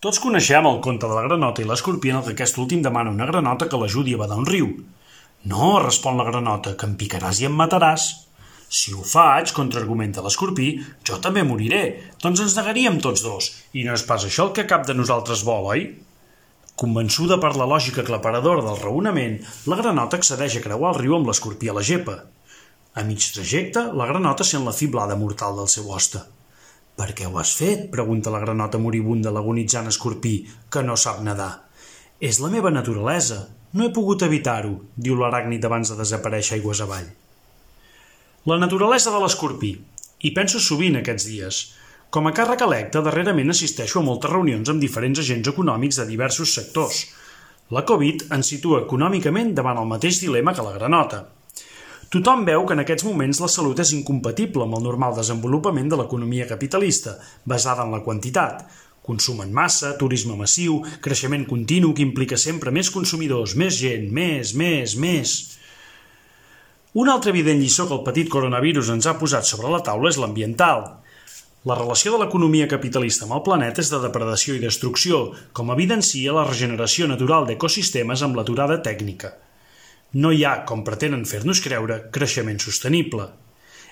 Tots coneixem el conte de la granota i l'escorpí en què aquest últim demana a una granota que l'ajudi a badar un riu. «No», respon la granota, «que em picaràs i em mataràs». «Si ho faig», contraargumenta l'escorpí, «jo també moriré, doncs ens negaríem tots dos, i no és pas això el que cap de nosaltres vol, oi?» Convençuda per la lògica aclaparadora del raonament, la granota accedeix a creuar el riu amb l'escorpí a la gepa. A mig trajecte, la granota sent la fiblada mortal del seu hoste. «Per què ho has fet?», pregunta la granota moribunda l'agonitzant escorpí, que no sap nedar. «És la meva naturalesa. No he pogut evitar-ho», diu l'aràcnid abans de desaparèixer aigües avall. La naturalesa de l'escorpí. Hi penso sovint aquests dies. Com a càrrec electe, darrerament assisteixo a moltes reunions amb diferents agents econòmics de diversos sectors. La Covid ens situa econòmicament davant el mateix dilema que la granota. Tothom veu que en aquests moments la salut és incompatible amb el normal desenvolupament de l'economia capitalista, basada en la quantitat. Consum en massa, turisme massiu, creixement continu que implica sempre més consumidors, més gent, més. Una altra evident lliçó que el petit coronavirus ens ha posat sobre la taula és l'ambiental. La relació de l'economia capitalista amb el planeta és de depredació i destrucció, com evidencia la regeneració natural d'ecosistemes amb l'aturada tècnica. No hi ha, com pretenen fer-nos creure, creixement sostenible.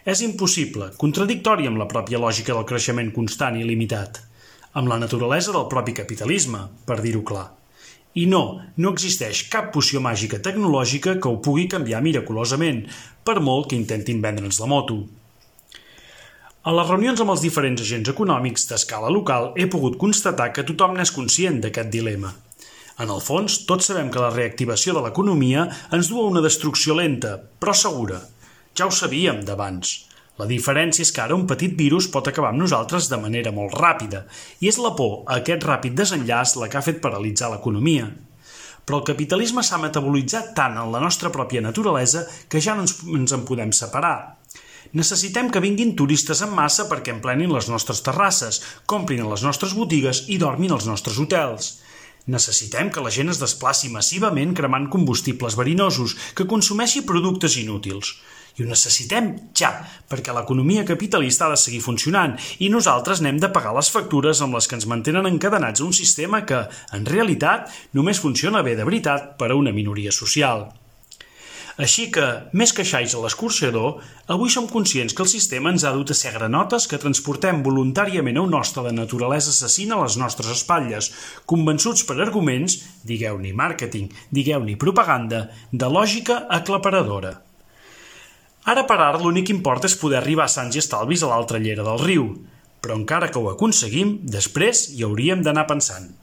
És impossible, contradictori amb la pròpia lògica del creixement constant i limitat, amb la naturalesa del propi capitalisme, per dir-ho clar. I no existeix cap poció màgica tecnològica que ho pugui canviar miraculosament, per molt que intentin vendre'ns la moto. A les reunions amb els diferents agents econòmics d'escala local he pogut constatar que tothom n'és conscient d'aquest dilema. En el fons, tots sabem que la reactivació de l'economia ens du a una destrucció lenta, però segura. Ja ho sabíem d'abans. La diferència és que ara un petit virus pot acabar amb nosaltres de manera molt ràpida, i és la por a aquest ràpid desenllaç la que ha fet paralitzar l'economia. Però el capitalisme s'ha metabolitzat tant en la nostra pròpia naturalesa que ja no ens en podem separar. Necessitem que vinguin turistes en massa perquè emplenin les nostres terrasses, comprin a les nostres botigues i dormin als nostres hotels. Necessitem que la gent es desplaci massivament cremant combustibles verinosos, que consumeixi productes inútils. I ho necessitem ja, perquè l'economia capitalista ha de seguir funcionant i nosaltres n'hem de pagar les factures amb les que ens mantenen encadenats a un sistema que, en realitat, només funciona bé de veritat per a una minoria social. Així que, més que xais a l'escorxador, avui som conscients que el sistema ens ha dut a ser granotes que transportem voluntàriament a un hoste de naturalesa assassina a les nostres espatlles, convençuts per arguments, digueu-ne màrqueting, digueu-ne propaganda, de lògica aclaparadora. Ara per ara l'únic que importa és poder arribar sans i estalvis a l'altra llera del riu, però encara que ho aconseguim, després hi hauríem d'anar pensant.